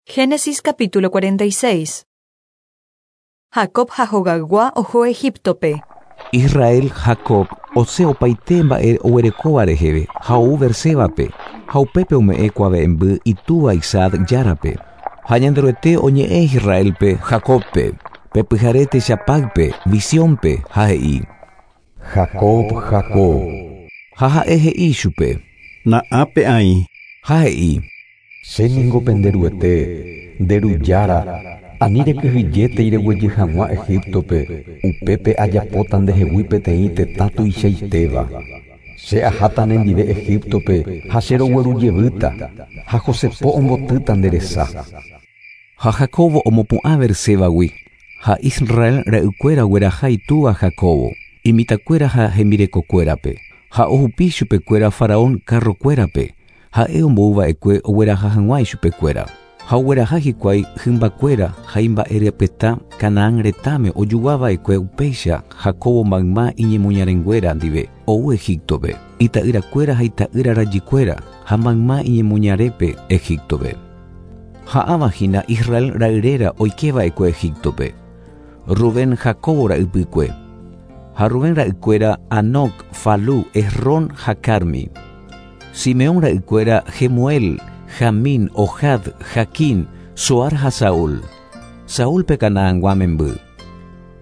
Génesis capítulo 46. Jacob ha hogaygua oho Egíptope. Israel, Jacob, osẽ opaite mba'e oguerekóva reheve ha ou Beersébape, ha upépe ome'ẽ kuave'ẽmby itúva Isaac Járape. Ha Ñanderuete oñe'ẽ Israélpe, Jacóbpe, pe pyhare techapáype, visiónpe, ha he'i. Jacob, Jacob. Ha ha'e he'i ichupe. Na'ápe aĩ. Ha he'i. Che ningo pende Ruete, nde Ru Jára, ani rekyhyjétei reguejy hag̃ua Egíptope, upépe ajapóta ndehegui peteĩ tetã tuichaitéva. Che aháta nendive Egíptope ha che rogueru jevýta, ha José po ombotýta nde resa. Ha Jacóbo omopu'ã Beersébagui, ha Israel ra'ykuéra ogueraha itúva Jacóbo, imitãkuéra ha hembirekokuérape, ha ohupi chupekuéra Faraón karrokuérape, Ha'e ombou va'ekue ogueraha hag̃ua ichupekuéra. Ha ogueraha hikuái hymbakuéra ha imba'erepyeta Canaán retãme ojugua va'ekue upéicha Jacóbo mayma iñemoñarenguéra ndive ou Egíptope, ita'yrakuéra ha ita'ýra rajykuéra ha mayma iñemoñarépe Egíptope. Ha ãva hína Israel ra'yréra oike va'ekue Egíptope, Rubén Jacóbo ra'ypykue. Ha Rubén ra'ykuéra Hanoc, Falú, Hezrón ha Carmi. Simeón ra'ykuéra Jemuel, Jamín, Ohad, Jaquín, Zohar ha Saúl. Saúl pe Canaangua memby.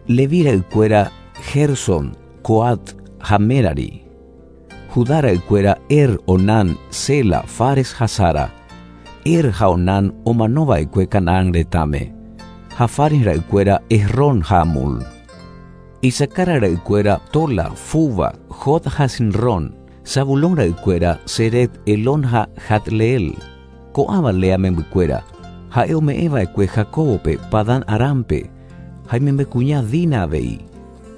Leví ra'ykuéra Gersón, Coat ha Merari. Judá ra'ykuéra Er, Onán, Sela, Fares ha Zara. Er ha Onán omano va'ekue Canaán retãme. Ha Fares ra'ykuéra Hezrón ha Hamul. Isacar ra'ykuéra Tola, Fuva, Jod ha Sinrón. Zabulón ra'ykuéra, Sered, Elón ha Jatleel. Ko'ãva Lea membykuéra, ha'e ome'ẽ va'ekue Jacóbope Padán Arámpe, ha imembykuña Dina avei.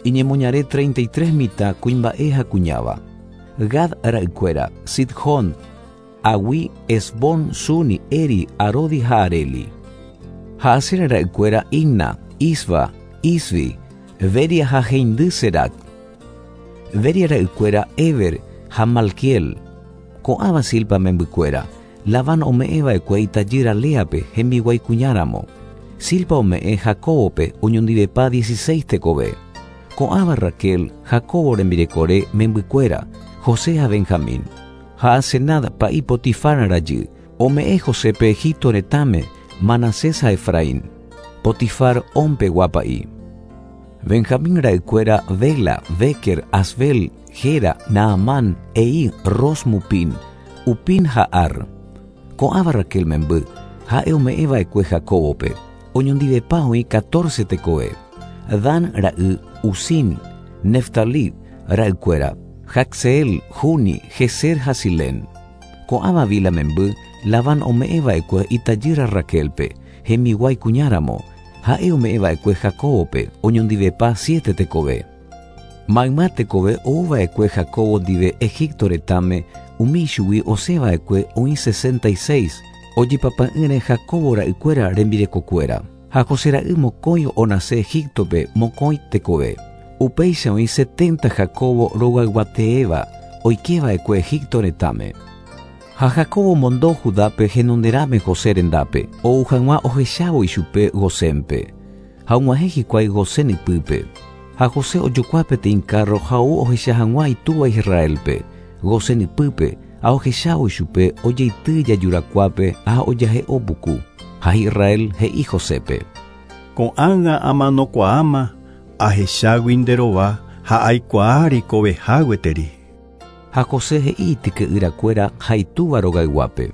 Iñemoñare 33 mitã kuimba'e ha kuñáva. Gad ra'ykuéra, Sidjón, Agui, Esbón, Suni, Eri, Arodi ha Areli. Ha Aser ra'ykuéra Imna, Isva, Isvi, Beria ha heindy Serac. Beria ra'ykuéra Héber ha Malquiel. Ko'ãva Zilpa membykuéra, Labán ome'ẽ va'ekue itajýra Léape hembiguái kuñáramo. Zilpa ome'ẽ Jacóbope oñondivepa dieciséis tekove. Ko'ãva Raquel, Jacóbo rembirekore membykuéra, José ha Benjamín. Ha Asenat pa'i Potifar rajy, ome'ẽ Josépe Egipto retãme, Manasés ha Efraín. Potifar On pegua pa'i. Benjamín ra'ykuéra Bela, Béker, Asbel, Gera, Naamán, Eí, Ros, Mupín, Upín ha Ar. Ko'ãva Raquel memby, ha'e ome'ẽ va'ekue Jacóbope, oñondivepa oĩ catorce tekove. Dan ra'y Usín, Neftalí ra'ykuéra, Jacseel, Juni, Jezer ha Silén. Ko'ãva Bila memby, Labán ome'ẽ va'ekue itajýra Raquélpe, hembiguái kuñáramo, Ha'e ome'ẽ va'ekue Jacóbope oñondivepa siete tekove. Mayma tekove ou va'ekue Jacóbo ndive Egipto retãme, umi ichugui osẽ va'ekue oĩ 66, ojepapa'ỹre Jacóbo ra'ykuéra rembirekokuéra. Ha José ra'y mokõi onase Egíptope mokõi tekove. Upéicha oĩ setenta Jacóbo rogayguateéva oike va'ekue Egipto retãme. Ha Jacob omondo Judápe henonderãme José rendápe, ou hag̃ua ohechávo ichupe Gosénpe. Ha og̃uahẽ hikuái Gosén ypýpe. Ha José ojokua peteĩ kárro ha ou ohecha hag̃ua itúva Israélpe, Gosén ypýpe, ha ohechávo ichupe ojeity ijajurakuápe ha ojahe'o puku. Ha Israel he'i Josépe. Ko'ág̃a amanokuaáma ahechágui nde rova ha aikuaa reikoveha gueteri. Ha José he'i ityke'yrakuéra ha itúva rogayguápe.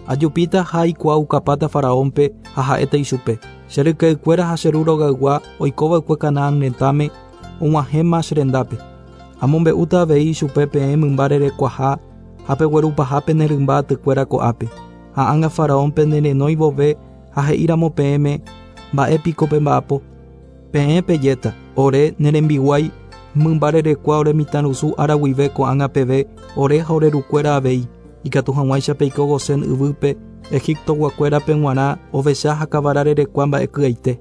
Ajupíta ha aikuaaukapáta Faraónpe ha ha'éta ichupe, Che ryke'ykuéra ha che ru rogaygua oikova'ekue Canaán retãme og̃uahẽma che rendápe. Amombe'úta avei ichupe peẽ mymba rerekuaha ha peguerupaha pene rymba atykuéra ko'ápe. Ha ág̃a Faraón penerenói vove ha he'íramo peẽme, Mba'e piko pemba'apo? Peẽ pejéta, Ore, ne rembiguái, mymba rerekua ore mitãrusu ára guive ko'ág̃a peve, ore ha ore rukuéra avei, ikatu hag̃uáicha peiko Gosén yvýpe, Egiptoguakuérape g̃uarã ovecha ha kavara rerekua mba'eky'aite.